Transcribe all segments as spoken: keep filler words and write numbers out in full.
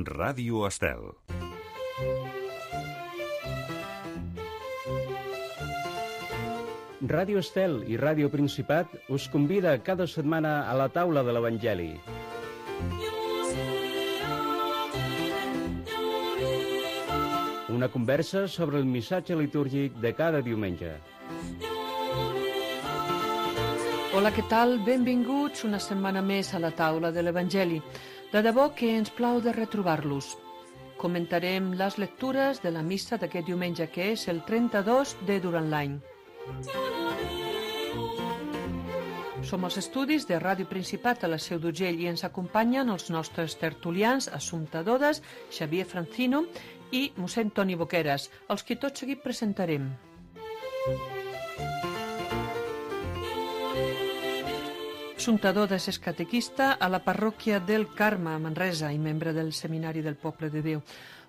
Ràdio Estel. Ràdio Estel i Ràdio Principat us convida cada setmana a la taula de l'Evangeli. Una conversa sobre el missatge litúrgic de cada diumenge. Hola, què tal? Benvinguts una setmana més a la taula de l'Evangeli. De debò que ens plau de retrobar-los. Comentarem les lectures de la missa d'aquest diumenge, que és el trenta-dos de durant l'any. Som als estudis de Ràdio Principat a la Seu d'Urgell i ens acompanyen els nostres tertulians Assumpta Dodes, Xavier Francino i mossèn Toni Boqueras, els que tot seguit presentarem. Assumpta Dodes és catequista a la parròquia del Carme, a Manresa, i membre del Seminari del Poble de Déu.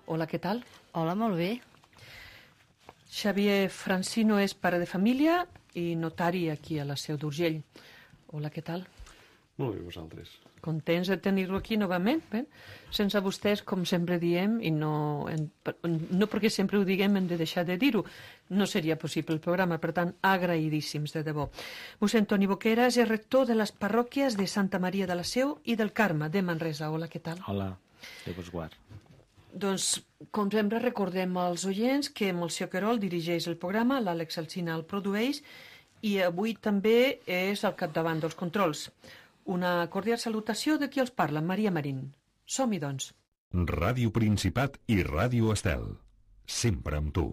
Hola, què tal? Hola, molt bé. Xavier Francino és pare de família i notari aquí a la Seu d'Urgell. Hola, què tal? Molt bé, vosaltres. Contents de tenir-lo aquí novament. Bé? Sense vostès, com sempre diem, i no, en, no perquè sempre ho diguem hem de deixar de dir-ho, no seria possible el programa, per tant, agraïdíssims, de debò. Mossèn Toni Boqueras és rector de les parròquies de Santa Maria de la Seu i del Carme, de Manresa. Hola, què tal? Hola, Déu vos guard. Doncs, com sempre, recordem als oients que Moció Querol dirigeix el programa, l'Àlex Alsina el produeix, i avui també és al capdavant dels controls. Una cordial salutació de qui els parla, Maria Marín. Som-hi, doncs. Ràdio Principat i Ràdio Estel. Sempre amb tu.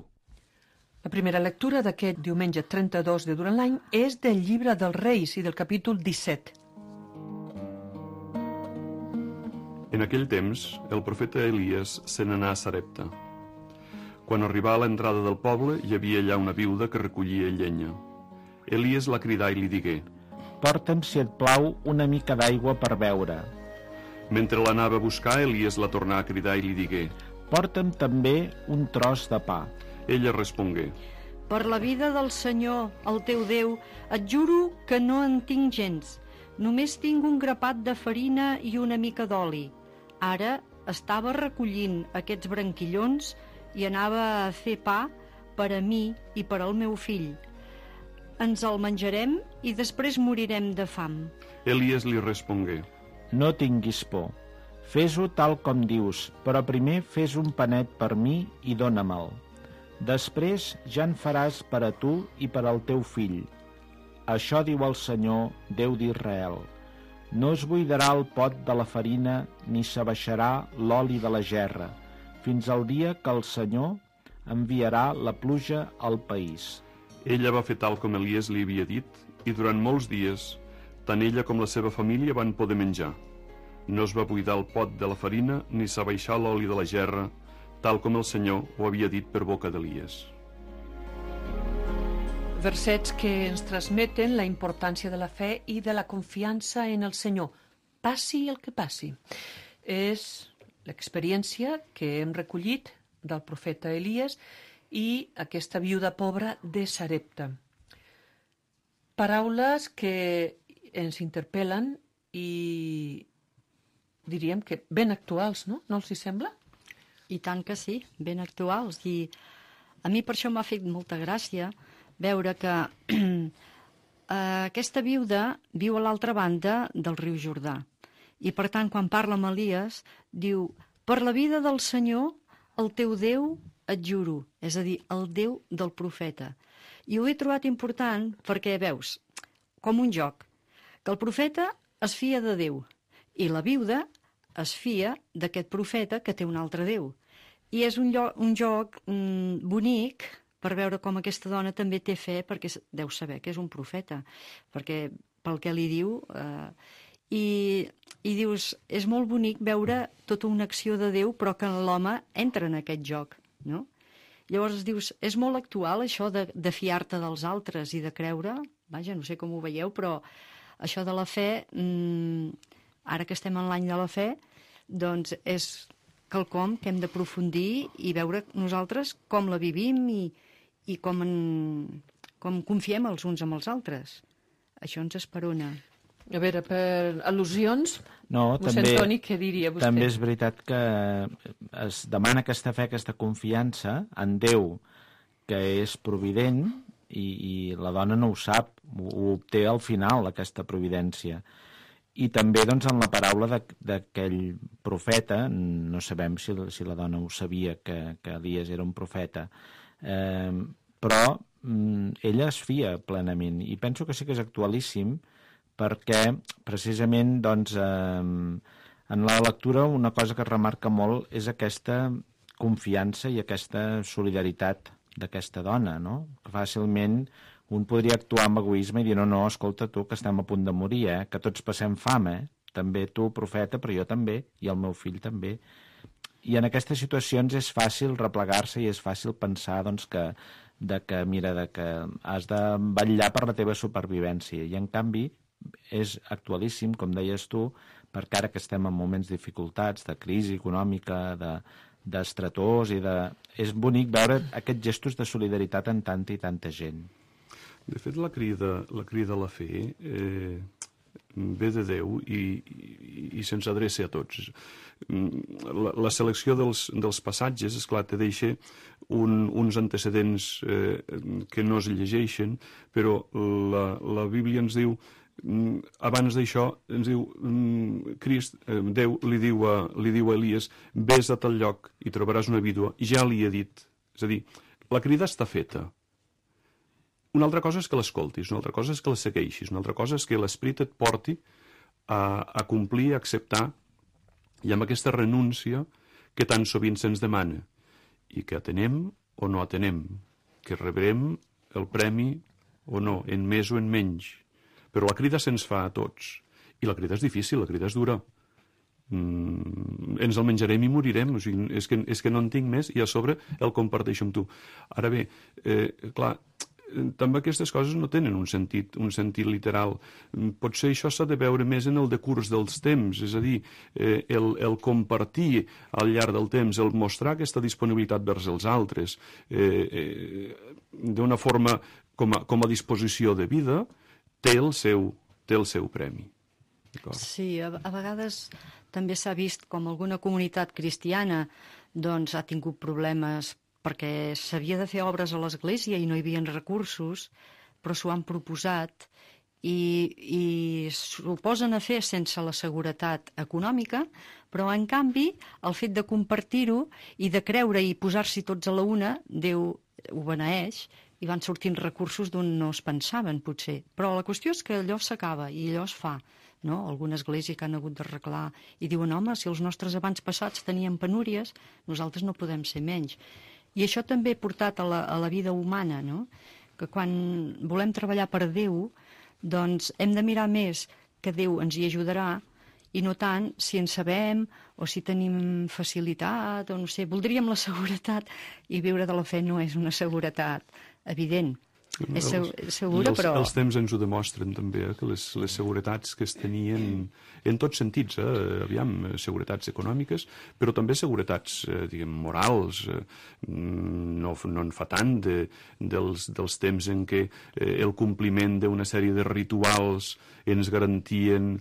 La primera lectura d'aquest diumenge trenta-dos de durant l'any és del Llibre dels Reis i del capítol disset. En aquell temps, el profeta Elies se n'anà a Sarepta. Quan arribà a l'entrada del poble, hi havia allà una viuda que recollia llenya. Elies la cridà i li digué: Porta'm, si et plau, una mica d'aigua per beure. Mentre l'anava a buscar, Elies la tornà a cridar i li digué: Porta'm també un tros de pa. Ella respongué: Per la vida del Senyor, el teu Déu, et juro que no en tinc gens. Només tinc un grapat de farina i una mica d'oli. Ara estava recollint aquests branquillons i anava a fer pa per a mi i per al meu fill. Ens el menjarem i després morirem de fam. Elies li respongué: No tinguis por. Fes-ho tal com dius, però primer fes un panet per mi i dóna-me'l. Després ja en faràs per a tu i per al teu fill. Això diu el Senyor, Déu d'Israel. No es buidarà el pot de la farina ni s'abaixarà l'oli de la gerra, fins al dia que el Senyor enviarà la pluja al país. Ella va fer tal com Elies li havia dit, i durant molts dies, tant ella com la seva família van poder menjar. No es va buidar el pot de la farina ni s'abaixar l'oli de la gerra, tal com el Senyor ho havia dit per boca d'Elies. Versets que ens transmeten la importància de la fe i de la confiança en el Senyor, passi el que passi. És l'experiència que hem recollit del profeta Elies i aquesta viuda pobra de Sarepta. Paraules que ens interpel·len i diríem que ben actuals, no? No els hi sembla? I tant que sí, ben actuals. I a mi per això m'ha fet molta gràcia veure que aquesta viuda viu a l'altra banda del riu Jordà. I per tant, quan parla amb Elies, diu: per la vida del Senyor, el teu Déu, et juro, és a dir, el Déu del profeta. I ho he trobat important perquè, veus, com un joc, que el profeta es fia de Déu i la viuda es fia d'aquest profeta que té un altre Déu. I és un, lloc, un joc mm, bonic per veure com aquesta dona també té fe, perquè deu saber que és un profeta, perquè pel que li diu... Eh, i, i dius, és molt bonic veure tota una acció de Déu, però que l'home entra en aquest joc, no? Llavors dius, és molt actual això de, de fiar-te dels altres i de creure, vaja, no sé com ho veieu, però això de la fe, mmm, ara que estem en l'any de la fe, doncs és quelcom que hem d'aprofundir i veure nosaltres com la vivim i, i com, en, com confiem els uns amb els altres. Això ens esperona. A veure, per al·lusions, No, mossèn també, Toni, què diria vostè? també és veritat que es demana aquesta fe, aquesta confiança en Déu, que és provident, i, i la dona no ho sap, ho, ho obté al final, aquesta providència. I també doncs, en la paraula d'aquell profeta, no sabem si, si la dona ho sabia, que, que Elies era un profeta, eh, però mm, ella es fia plenament, i penso que sí que és actualíssim, perquè precisament doncs, eh, en la lectura una cosa que es remarca molt és aquesta confiança i aquesta solidaritat d'aquesta dona, no? Que fàcilment un podria actuar amb egoisme i dir no, no, escolta tu, que estem a punt de morir, eh? Que tots passem fam, eh? També tu, profeta, però jo també, i el meu fill també. I en aquestes situacions és fàcil replegar-se i és fàcil pensar doncs, que, de que, mira, de que has de vetllar per la teva supervivència. I en canvi és actualíssim, com deies tu, perquè ara que estem en moments de dificultats, de crisi econòmica, de d'estretors i de... És bonic veure aquests gestos de solidaritat en tanta i tanta gent. De fet, la crida, la crida a la fe eh, ve de Déu i, i, i se'ns adreça a tots. La, la selecció dels, dels passatges, esclar, te deixa un, uns antecedents eh, que no es llegeixen, però la, la Bíblia ens diu, abans d'això, ens diu, Crist, Déu li diu, a, li diu a Elies, vés a tal lloc i trobaràs una vídua, i ja li he dit. És a dir, la crida està feta. Una altra cosa és que l'escoltis, una altra cosa és que la segueixis, una altra cosa és que l'Esperit et porti a, a complir, a acceptar, i amb aquesta renúncia que tan sovint se'ns demana, i que atenem o no atenem, que rebrem el premi o no, en més o en menys. Però la crida se'ns fa a tots. I la crida és difícil, la crida és dura. Mm, ens el menjarem i morirem. O sigui, és, que, és que no en tinc més i a sobre el comparteixo amb tu. Ara bé, eh, clar, també aquestes coses no tenen un sentit, un sentit literal. Potser això s'ha de veure més en el decurs dels temps, és a dir, eh, el, el compartir al llarg del temps, el mostrar aquesta disponibilitat vers els altres eh, eh, d'una forma com a, com a disposició de vida, té el seu, té el seu premi. Sí, a, a vegades també s'ha vist com alguna comunitat cristiana doncs, ha tingut problemes perquè s'havia de fer obres a l'església i no hi havia recursos, però s'ho han proposat i, i s'ho posen a fer sense la seguretat econòmica, però en canvi el fet de compartir-ho i de creure i posar-s'hi tots a la una, Déu ho beneeix, i van sortint recursos d'on no es pensaven, potser. Però la qüestió és que allò s'acaba i allò es fa. No? Alguna església que han hagut d'arreglar i diuen, home, si els nostres abans passats tenien penúries, nosaltres no podem ser menys. I això també ha portat a la, a la vida humana, no? Que quan volem treballar per Déu, doncs hem de mirar més que Déu ens hi ajudarà i no tant si en sabem o si tenim facilitat o no sé, voldríem la seguretat i viure de la fe no és una seguretat evident. No, és segura, els, però... Els temps ens ho demostren també, eh, que les, les seguretats que es tenien en tots sentits, eh, aviam, seguretats econòmiques, però també seguretats, eh, diguem, morals, eh, no, no en fa tant de, dels, dels temps en què eh, el compliment d'una sèrie de rituals ens garantien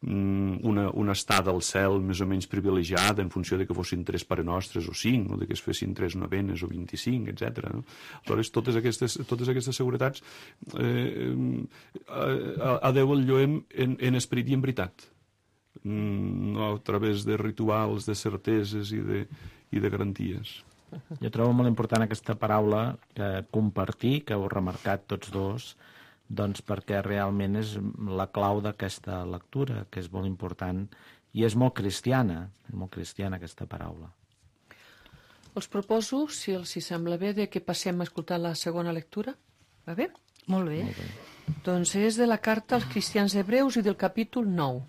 una, una estada al cel més o menys privilegiada en funció de que fossin tres Pare Nostres o cinc, o de que es fessin tres novenes o vint-i-cinc, etcètera. No? Aleshores, totes aquestes, totes aquestes seguretats eh, a, a Déu el lloem en, en esperit i en veritat, no a través de rituals, de certeses i de, i de garanties. Jo trobo molt important aquesta paraula que compartir, que heu remarcat tots dos, doncs perquè realment és la clau d'aquesta lectura, que és molt important i és molt cristiana, és molt cristiana aquesta paraula. Els proposo, si els hi sembla bé, de que passem a escoltar la segona lectura. Va bé? Molt bé. Molt bé. Doncs és de la carta als cristians hebreus i del capítol nou.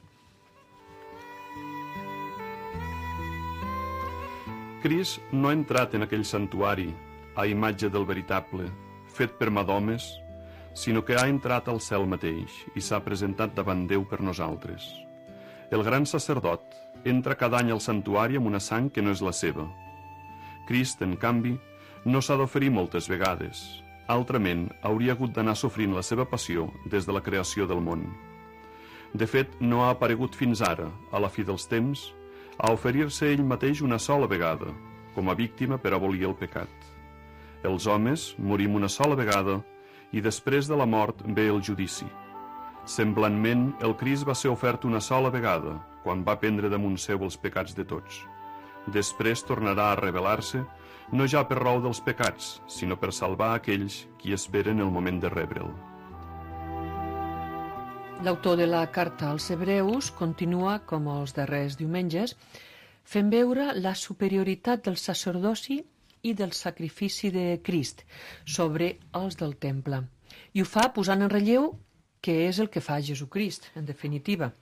Crist no ha entrat en aquell santuari a imatge del veritable, fet per mà d'homes, sinó que ha entrat al cel mateix i s'ha presentat davant Déu per nosaltres. El gran sacerdot entra cada any al santuari amb una sang que no és la seva. Crist, en canvi, no s'ha d'oferir moltes vegades. Altrament, hauria hagut d'anar sofrint la seva passió des de la creació del món. De fet, no ha aparegut fins ara, a la fi dels temps, a oferir-se ell mateix una sola vegada, com a víctima per abolir el pecat. Els homes morim una sola vegada i després de la mort ve el judici. Semblantment, el Crist va ser ofert una sola vegada, quan va prendre damunt seu els pecats de tots. Després tornarà a revelar-se, no ja per raó dels pecats, sinó per salvar aquells qui esperen el moment de rebre'l. L'autor de la carta als Hebreus continua, com els darrers diumenges, fent veure la superioritat del sacerdoci i del sacrifici de Crist sobre els del temple. I ho fa posant en relleu què és el que fa Jesucrist, en definitiva.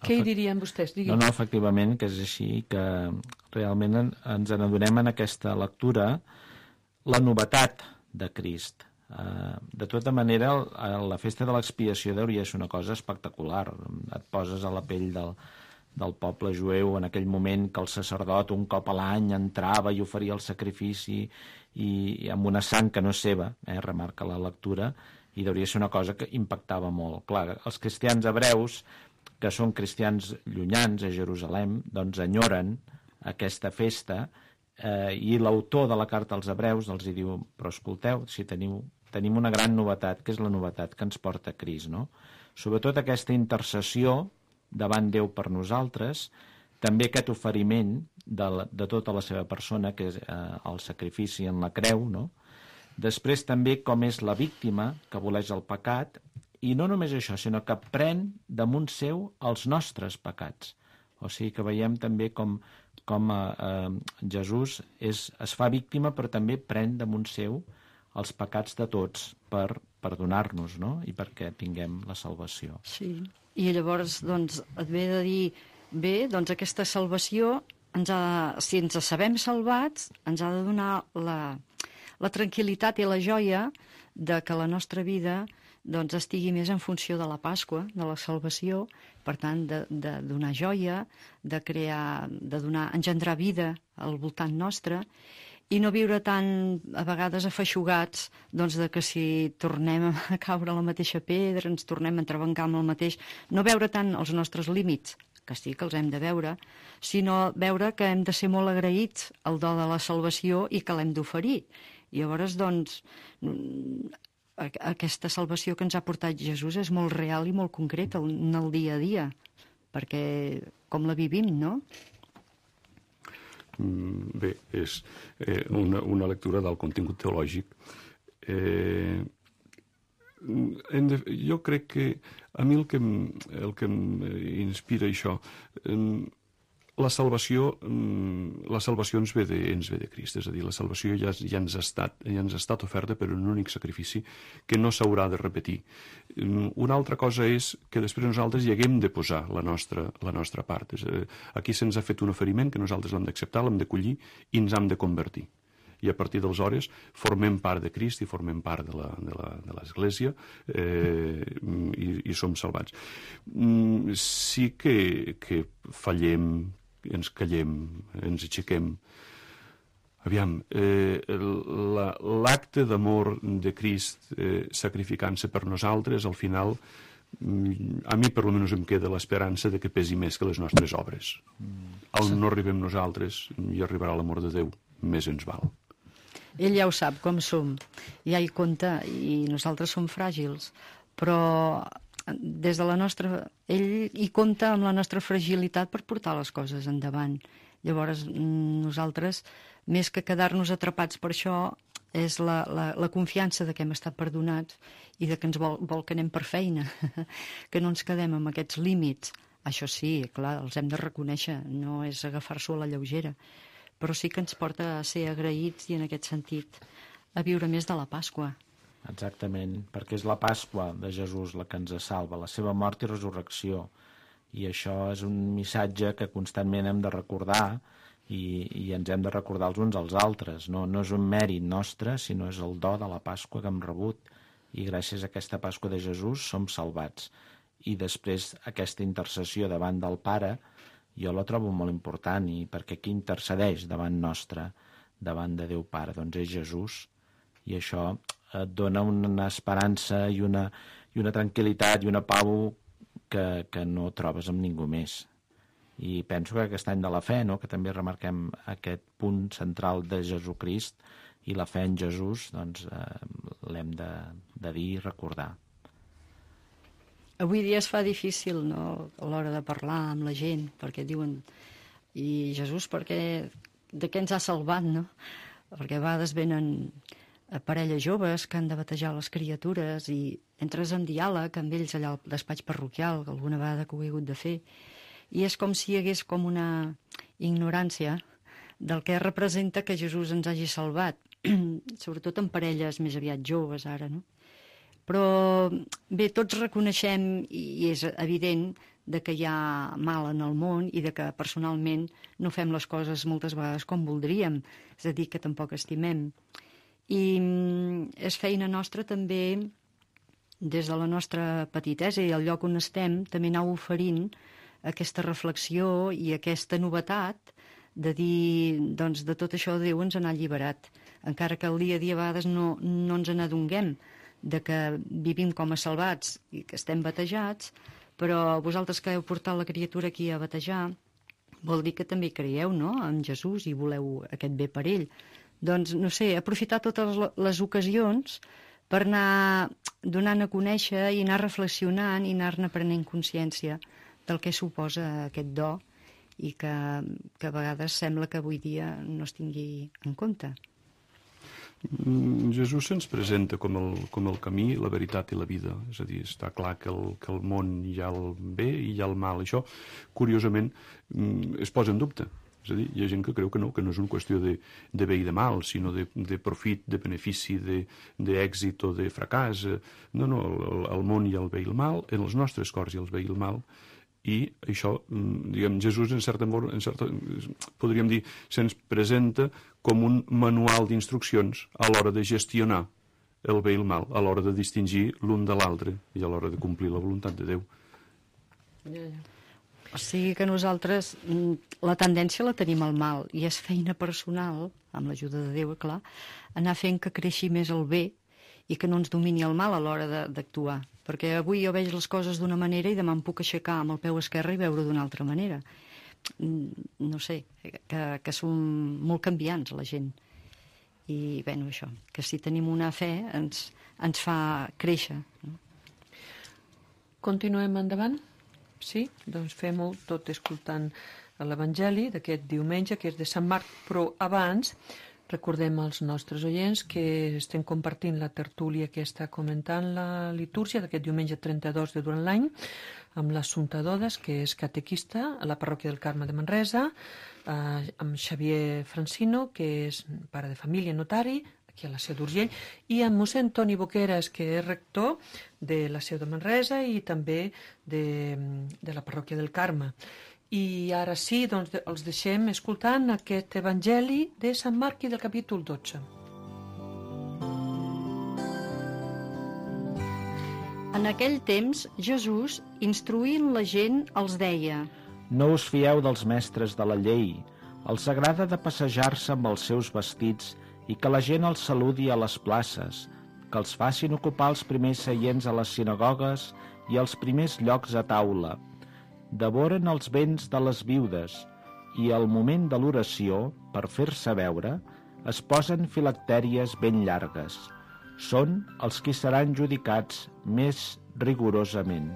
Què hi dirien vostès? Digui. No, no, efectivament, que és així, que realment en, ens n'adonem en aquesta lectura la novetat de Crist. Uh, de tota manera, el, la festa de l'expiació hauria de ser una cosa espectacular. Et poses a la pell del, del poble jueu en aquell moment que el sacerdot un cop a l'any entrava i oferia el sacrifici i, i amb una sang que no és seva, eh, remarca la lectura, i hauria de ser una cosa que impactava molt. Clar, els cristians hebreus, que són cristians llunyans a Jerusalem, doncs enyoren aquesta festa, eh, i l'autor de la carta als Hebreus els hi diu, però escolteu, si teniu, tenim una gran novetat, que és la novetat que ens porta Crist, no? Sobretot aquesta intercessió davant Déu per nosaltres, també aquest oferiment de, la, de tota la seva persona, que és eh, el sacrifici en la creu, no? Després també com és la víctima que aboleix el pecat, i no només això, sinó que pren damunt seu els nostres pecats. O sigui que veiem també com, com eh, Jesús és, es fa víctima, però també pren damunt seu els pecats de tots per perdonar-nos, no? I perquè tinguem la salvació. Sí, i llavors doncs, et ve de dir, bé, doncs aquesta salvació, ens ha, si ens sabem salvats, ens ha de donar la, la tranquil·litat i la joia de que la nostra vida doncs estigui més en funció de la Pasqua, de la salvació, per tant, de, de donar joia, de crear, de donar, engendrar vida al voltant nostre, i no viure tan, a vegades, afeixugats, doncs, de que si tornem a caure a la mateixa pedra, ens tornem a entrebancar amb el mateix, no veure tant els nostres límits, que sí que els hem de veure, sinó veure que hem de ser molt agraïts al do de la salvació i que l'hem d'oferir. I llavors, doncs, aquesta salvació que ens ha portat Jesús és molt real i molt concreta en el dia a dia, perquè com la vivim, no? Bé, és eh, una, una lectura del contingut teològic. Eh, de, jo crec que a mi el que, el que inspira això, eh, la salvació, la salvació ens ve de, ens ve de Crist, és a dir, la salvació ja, ja, ens ha estat, ja ens ha estat oferta per un únic sacrifici que no s'haurà de repetir. Una altra cosa és que després nosaltres hi haguem de posar la nostra, la nostra part. És, aquí se'ns ha fet un oferiment que nosaltres l'hem d'acceptar, l'hem d'acollir i ens hem de convertir. I a partir d'aleshores formem part de Crist i formem part de la, de la, de l'Església eh, i, i som salvats. Sí que, que fallem, ens callem, ens aixequem. Aviam, eh, l'acte d'amor de Crist eh, sacrificant-se per nosaltres, al final, a mi per almenys em queda l'esperança de que pesi més que les nostres obres. On no arribem nosaltres, hi arribarà l'amor de Déu, més ens val. Ell ja ho sap, com som, ja hi compta, i nosaltres som fràgils, però des de la nostra... Ell hi compta amb la nostra fragilitat per portar les coses endavant. Llavors, nosaltres, més que quedar-nos atrapats per això, és la, la, la confiança de que hem estat perdonats i de que ens vol, vol que anem per feina, que no ens quedem amb aquests límits. Això sí, clar, els hem de reconèixer, no és agafar-s'ho a la lleugera, però sí que ens porta a ser agraïts i, en aquest sentit, a viure més de la Pasqua. Exactament, perquè és la Pasqua de Jesús la que ens salva, la seva mort i resurrecció. I això és un missatge que constantment hem de recordar i, i ens hem de recordar els uns als altres. No, no és un mèrit nostre, sinó és el do de la Pasqua que hem rebut. I gràcies a aquesta Pasqua de Jesús som salvats. I després aquesta intercessió davant del Pare jo la trobo molt important, i perquè qui intercedeix davant nostre, davant de Déu Pare, doncs és Jesús, i això et dona una esperança i una, i una tranquil·litat i una pau que, que no trobes amb ningú més. I penso que aquest any de la fe, no?, que també remarquem aquest punt central de Jesucrist i la fe en Jesús, doncs eh, l'hem de, de dir i recordar. Avui dia es fa difícil, no?, a l'hora de parlar amb la gent, perquè diuen, i Jesús, perquè, de què ens ha salvat, no? Perquè a vegades venen parelles joves que han de batejar les criatures i entres en diàleg amb ells allà al despatx parroquial, alguna vegada que ho he hagut de fer, i és com si hi hagués com una ignorància del que representa que Jesús ens hagi salvat, sobretot en parelles més aviat joves ara, no? Però bé, tots reconeixem, i és evident, de que hi ha mal en el món i de que personalment no fem les coses moltes vegades com voldríem, és a dir, que tampoc estimem. I és feina nostra també, des de la nostra petitesa i el lloc on estem, també anar oferint aquesta reflexió i aquesta novetat de dir, doncs, de tot això Déu ens n'ha alliberat, encara que el dia a dia a vegades no, no ens n'adonguem de que vivim com a salvats i que estem batejats, però vosaltres que heu portat la criatura aquí a batejar, vol dir que també creieu, no?, en Jesús i voleu aquest bé per ell. Doncs, no sé, aprofitar totes les ocasions per anar donant a conèixer i anar reflexionant i anar-ne prenent consciència del que suposa aquest do i que, que a vegades sembla que avui dia no es tingui en compte. Jesús se'ns presenta com el, com el camí, la veritat i la vida. És a dir, està clar que el, que el món hi ha el bé i hi ha el mal. Això, curiosament, es posa en dubte. És a dir, hi ha gent que creu que no, que no és una qüestió de, de bé i de mal, sinó de, de profit, de benefici, d'èxit o de fracàs. No, no, el, el món hi ha el bé i el mal, en els nostres cors hi ha el bé i el mal, i això, diguem, Jesús, en certa, en certa, podríem dir, se'ns presenta com un manual d'instruccions a l'hora de gestionar el bé i el mal, a l'hora de distingir l'un de l'altre i a l'hora de complir la voluntat de Déu. Ja, ja. O sigui que nosaltres la tendència la tenim al mal i és feina personal, amb l'ajuda de Déu, clar, anar fent que creixi més el bé i que no ens domini el mal a l'hora d'actuar. Perquè avui jo veig les coses d'una manera i demà em puc aixecar amb el peu esquerre i veure d'una altra manera. No sé, que, que som molt canviants, la gent. I, bé, això, que si tenim una fe ens, ens fa créixer. No? Continuem endavant? Sí? Doncs fem-ho tot escoltant l'Evangeli d'aquest diumenge, que és de Sant Marc, però abans recordem als nostres oients que estem compartint la tertúlia que està comentant la litúrgia d'aquest diumenge trenta-dos de durant l'any amb l'Assumpta Dodes, que és catequista a la parròquia del Carme de Manresa, eh, amb Xavier Francino, que és pare de família notari, aquí a la Seu d'Urgell, i amb mossèn Toni Boqueras, que és rector de la Seu de Manresa i també de, de la parròquia del Carme. I ara sí, doncs els deixem escoltant aquest Evangeli de Sant Marc i del capítol dotze. En aquell temps, Jesús, instruint la gent, els deia: No us fieu dels mestres de la llei. Els agrada de passejar-se amb els seus vestits i que la gent els saludi a les places, que els facin ocupar els primers seients a les sinagogues i els primers llocs a taula. Devoren els béns de les viudes i al moment de l'oració, per fer-se veure, es posen filactèries ben llargues. Són els qui seran judicats més rigorosament.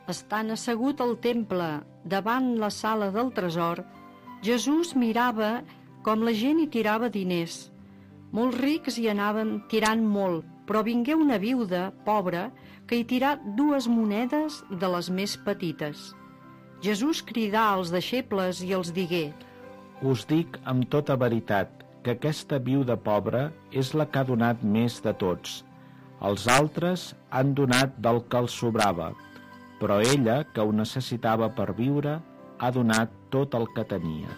Estant assegut al temple, davant la sala del tresor, Jesús mirava com la gent hi tirava diners. Molts rics hi anaven tirant molt, però vingué una viuda, pobra, que hi tirà dues monedes de les més petites. Jesús cridà als deixebles i els digué: Us dic amb tota veritat que aquesta viuda pobra és la que ha donat més de tots. Els altres han donat del que els sobrava, però ella, que ho necessitava per viure, ha donat tot el que tenia.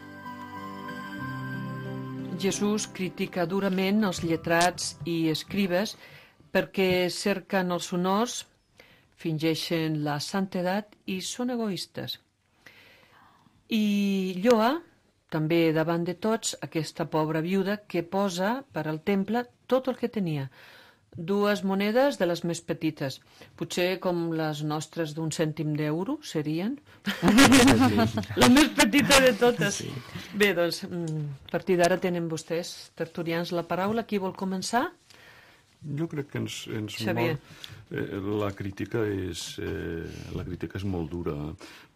Jesús critica durament els lletrats i escribes perquè cerquen els honors, fingeixen la santedat i són egoistes. I lloa, també davant de tots, aquesta pobra viuda que posa per al temple tot el que tenia. dues monedes de les més petites. Potser com les nostres d'un cèntim d'euro serien. La més petita de totes. Sí. Bé, doncs, a partir d'ara tenen vostès, tertulians, la paraula. Qui vol començar? Jo crec que ens, ens Xavier. Eh, la crítica és eh, la crítica és molt dura,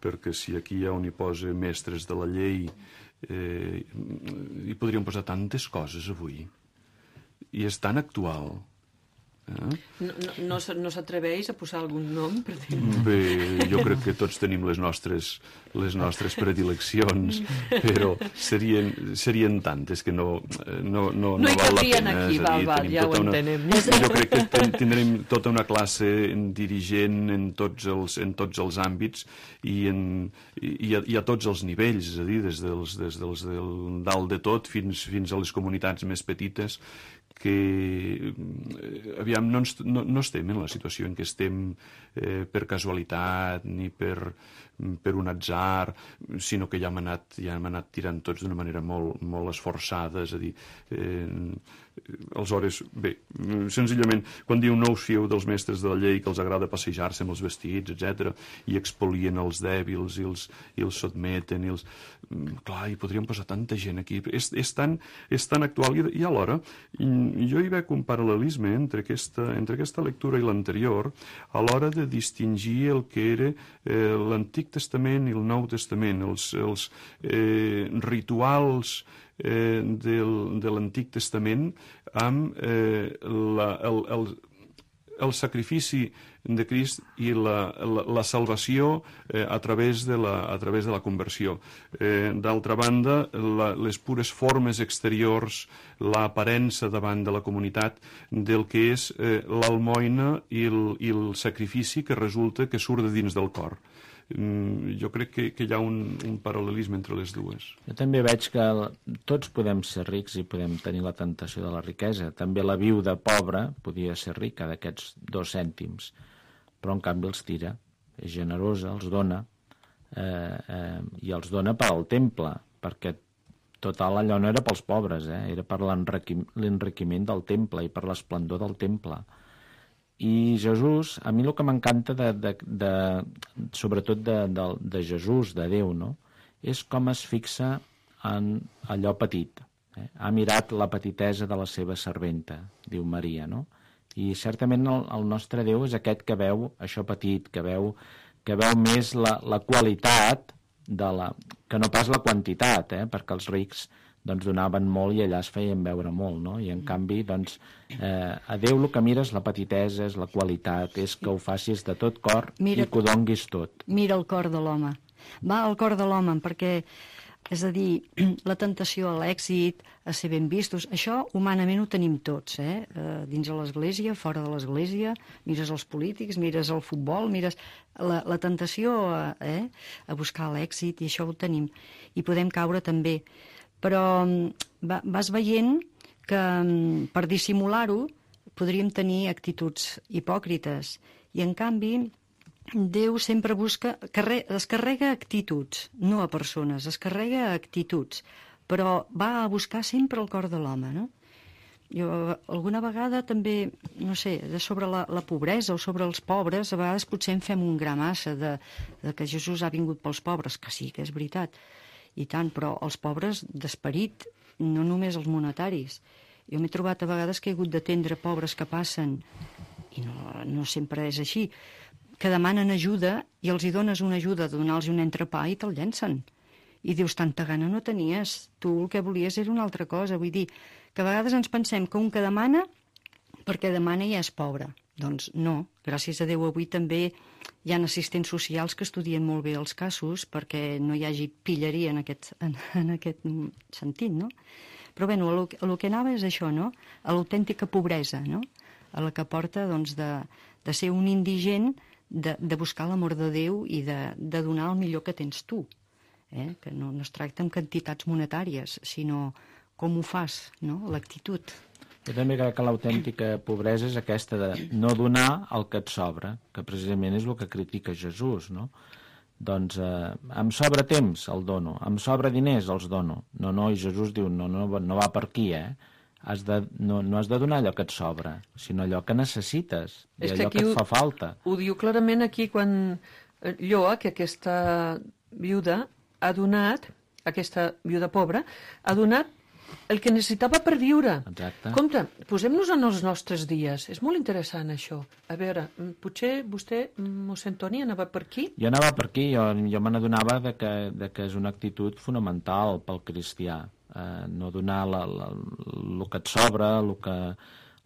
perquè si aquí hi ha on hi posa mestres de la llei, eh, hi podríem posar tantes coses avui, i és tan actual. Eh? No, no, no, no s'atreveix a posar algun nom? Per dir... Bé, jo crec que tots tenim les nostres, les nostres predileccions, però serien, serien tantes que no, no, no, no, no val la pena. Aquí, val, dir, val, ja ho una, entenem. Jo crec que ten, tindrem tota una classe dirigent en tots els, en tots els àmbits i, en, i, a, i a tots els nivells, és a dir, des dels, des dels del dalt de tot fins, fins a les comunitats més petites, que aviam, no, ens, no, no estem en la situació en què estem eh, per casualitat ni per, per un atzar, sinó que ja hem anat, ja hem anat tirant tots d'una manera molt, molt esforçada, és a dir, eh, aleshores, bé, senzillament, quan diu no us fieu dels mestres de la llei que els agrada passejar-se amb els vestits, etcètera, i expolien els dèbils i els, i els sotmeten, i els... Clar, hi podríem posar tanta gent aquí. És, és, tan, és tan actual, i, i alhora jo hi veig un paral·lelisme entre aquesta, entre aquesta lectura i l'anterior a l'hora de distingir el que era eh, l'Antic Testament i el Nou Testament, els, els eh, rituals eh, del, de l'Antic Testament amb eh, la, el, el, el sacrifici de Crist i la, la, la salvació eh, a, través de la, a través de la conversió. Eh, D'altra banda, la, les pures formes exteriors, l'aparença davant de la comunitat del que és eh, l'almoina i, el, i el sacrifici que resulta que surt de dins del cor. Mm, jo crec que, que hi ha un, un paral·lelisme entre les dues. Jo també veig que tots podem ser rics i podem tenir la tentació de la riquesa. També la viuda pobra podia ser rica d'aquests dos cèntims, però en canvi els tira, és generosa, els dona, eh, eh, i els dona per al temple, perquè total allò no era pels pobres, eh? Era per l'enriquiment del temple i per l'esplendor del temple. I Jesús, a mi el que m'encanta de, de, de, sobretot de, de, de Jesús, de Déu, no? És com es fixa en allò petit. Eh? Ha mirat la petitesa de la seva serventa, diu Maria, no? I certament el, el nostre Déu és aquest que veu això petit, que veu, que veu més la, la qualitat, de la, que no pas la quantitat, eh? Perquè els rics doncs, donaven molt i allà es feien veure molt, no? I en canvi, doncs, eh, a Déu el que mira és la petitesa, és la qualitat, és que ho facis de tot cor mira, i que ho donguis tot. Mira el cor de l'home. Va al cor de l'home, perquè, és a dir, la tentació a l'èxit, a ser ben vistos, això humanament ho tenim tots, eh? Eh, dins de l'església, fora de l'església, mires els polítics, mires el futbol, mires la, la tentació a, eh? a buscar l'èxit, i això ho tenim. I podem caure també. Però va, vas veient que per dissimular-ho podríem tenir actituds hipòcrites, i en canvi Déu sempre busca, carre, es carrega actituds, no a persones, es carrega actituds, però va a buscar sempre el cor de l'home, no? Jo alguna vegada també, no sé, de sobre la, la pobresa o sobre els pobres, a vegades potser en fem un gra massa de, de que Jesús ha vingut pels pobres, que sí, que és veritat, i tant, però els pobres d'esperit, no només els monetaris. Jo m'he trobat a vegades que he hagut d'atendre pobres que passen, i no, no sempre és així, que demanen ajuda i els hi dones una ajuda de donar-los un entrepà i te'l llencen. I dius, tanta gana no tenies, tu el que volies era una altra cosa. Vull dir, que a vegades ens pensem que un que demana, perquè demana ja és pobre. Doncs no, gràcies a Déu avui també hi ha assistents socials que estudien molt bé els casos perquè no hi hagi pilleria en aquest, en, en aquest sentit, no? Però bé, el, el que anava és això, no? A l'autèntica pobresa, no? A la que porta, doncs, de, de ser un indigent, de, de buscar l'amor de Déu i de, de donar el millor que tens tu. Eh? Que no, no es tracta amb quantitats monetàries, sinó com ho fas, no? L'actitud. Jo també crec que l'autèntica pobresa és aquesta de no donar el que et sobra, que precisament és el que critica Jesús, no? Doncs eh, em sobra temps, el dono, em sobra diners, els dono. No, no, i Jesús diu, no, no, no va per aquí, eh? has de, no, no has de donar allò que et sobra, sinó allò que necessites, i És que allò aquí que ho- et fa falta. Ho diu clarament aquí quan eh, Lloa, que aquesta viuda ha donat, aquesta viuda pobra, ha donat el que necessitava per viure. Exacte. Compte, posem-nos en els nostres dies. És molt interessant, això. A veure, mm, potser vostè, mm, mossèn Toni, anava per aquí? Jo anava per aquí, jo, jo me n'adonava de que, de que és una actitud fonamental pel cristià. Eh, no donar la, la, el que et sobra, el que,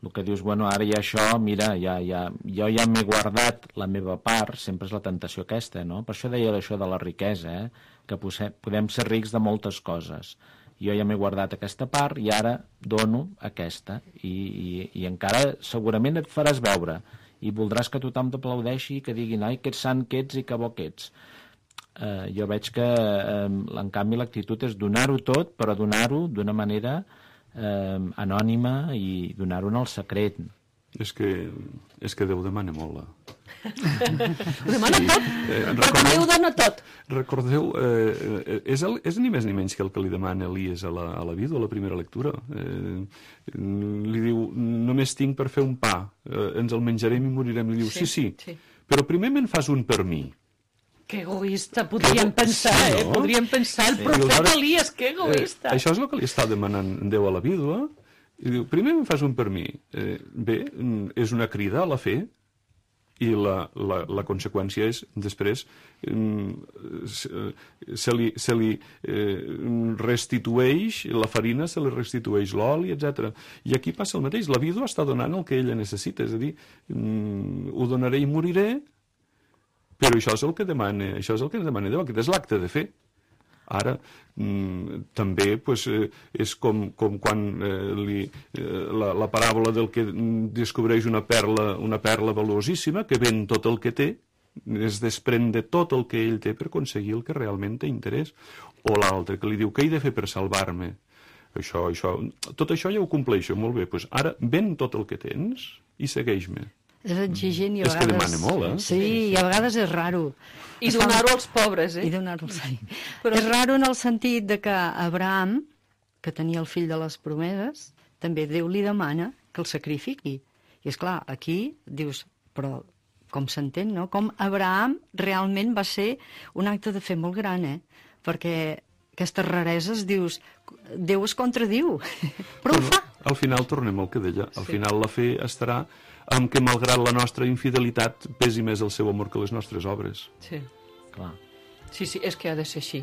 el que dius, bueno, ara ja això, mira, ja, ja, jo ja m'he guardat la meva part, sempre és la tentació aquesta, no? Per això deia això de la riquesa, eh? Que posem, podem ser rics de moltes coses. Jo ja m'he guardat aquesta part i ara dono aquesta. I, i, i encara segurament et faràs veure i voldràs que tothom t'aplaudeixi i que diguin, ai, que ets sant que ets i que bo que ets. Eh, jo veig que, eh, en canvi, l'actitud és donar-ho tot, però donar-ho d'una manera eh, anònima i donar-ho en el secret. És que, és que Déu demana molt. La... Ho demana Sí. tot? Eh, Perquè recordeu- Déu dona tot. Recordeu, eh, és, el, és ni més ni menys que el que li demana Elies a la, a la vídua a la primera lectura. Eh, li diu, només tinc per fer un pa, eh, ens el menjarem i morirem. Li diu, sí, sí, sí. però primer me'n fas un per mi. Que egoista, podríem pensar, Sí, eh? no? Podríem pensar, el Sí. profeta Aleshores, Elies, que egoista. Eh, això és el que li està demanant Déu a la vídua. I diu, primer em fas un per mi. Eh, bé, mm, és una crida a la fe i la, la, la conseqüència és, després, mm, se, se li, se li eh, restitueix la farina, se li restitueix l'oli, etcètera. I aquí passa el mateix. La vídua està donant el que ella necessita, és a dir, mm, ho donaré i moriré, però això és el que demana, això és el que ens demana Déu, aquest és l'acte de fe. Ara, mm, també pues, eh, és com, com quan eh, li, eh, la, la paràbola del que descobreix una perla, una perla valuosíssima, que ven tot el que té, es desprèn de tot el que ell té per aconseguir el que realment té interès. O l'altre, que li diu, què he de fer per salvar-me? Això, això, tot això ja ho compleixo, molt bé. Pues ara ven tot el que tens i segueix-me. És exigent i a És que vegades... demana molt, eh? Sí, i a vegades és raro. I Es fa- donar-ho als pobres, eh? I donar-ho als pobres. Però- És raro en el sentit de que Abraham, que tenia el fill de les promeses, també Déu li demana que el sacrifiqui. I és clar, aquí dius, però com s'entén, no? Com Abraham realment va ser un acte de fe molt gran, eh? Perquè aquestes rareses, dius, Déu es contradiu, però ho fa. Al final tornem al que deia. Al final la fe estarà amb que, malgrat la nostra infidelitat, pesi més el seu amor que les nostres obres. Sí. Clar. Sí, sí, és que ha de ser així.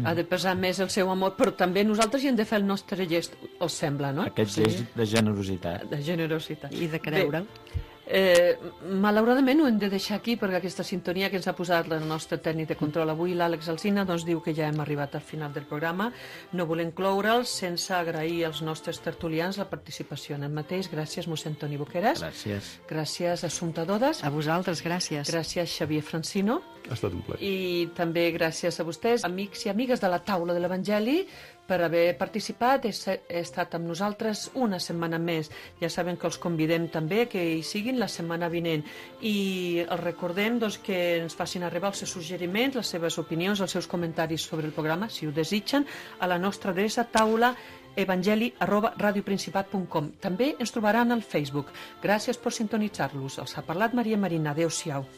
Ha de pesar més el seu amor, però també nosaltres hi hem de fer el nostre gest, els sembla, no? Aquest gest de generositat. De generositat. I de creure'l. Bé, eh, malauradament ho hem de deixar aquí perquè aquesta sintonia que ens ha posat el nostre tècnic de control avui, l'Àlex Alsina, doncs diu que ja hem arribat al final del programa. No volem cloure'l sense agrair als nostres tertulians la participació en el mateix. Gràcies, mossèn Toni Boqueras. Gràcies. Gràcies, Assumpta Dodes. A vosaltres, gràcies. Gràcies, Xavier Francino. Ha estat un plaer. I també gràcies a vostès, amics i amigues de la taula de l'Evangeli, per haver participat. He, he estat amb nosaltres una setmana més. Ja saben que els convidem també que hi siguin la setmana vinent. I els recordem doncs, que ens facin arribar els seus suggeriments, les seves opinions, els seus comentaris sobre el programa, si ho desitgen, a la nostra adreça taula evangeli arroba radioprincipat punt com. També ens trobaran al Facebook. Gràcies per sintonitzar-los. Els ha parlat Maria Marina. Adéu-siau.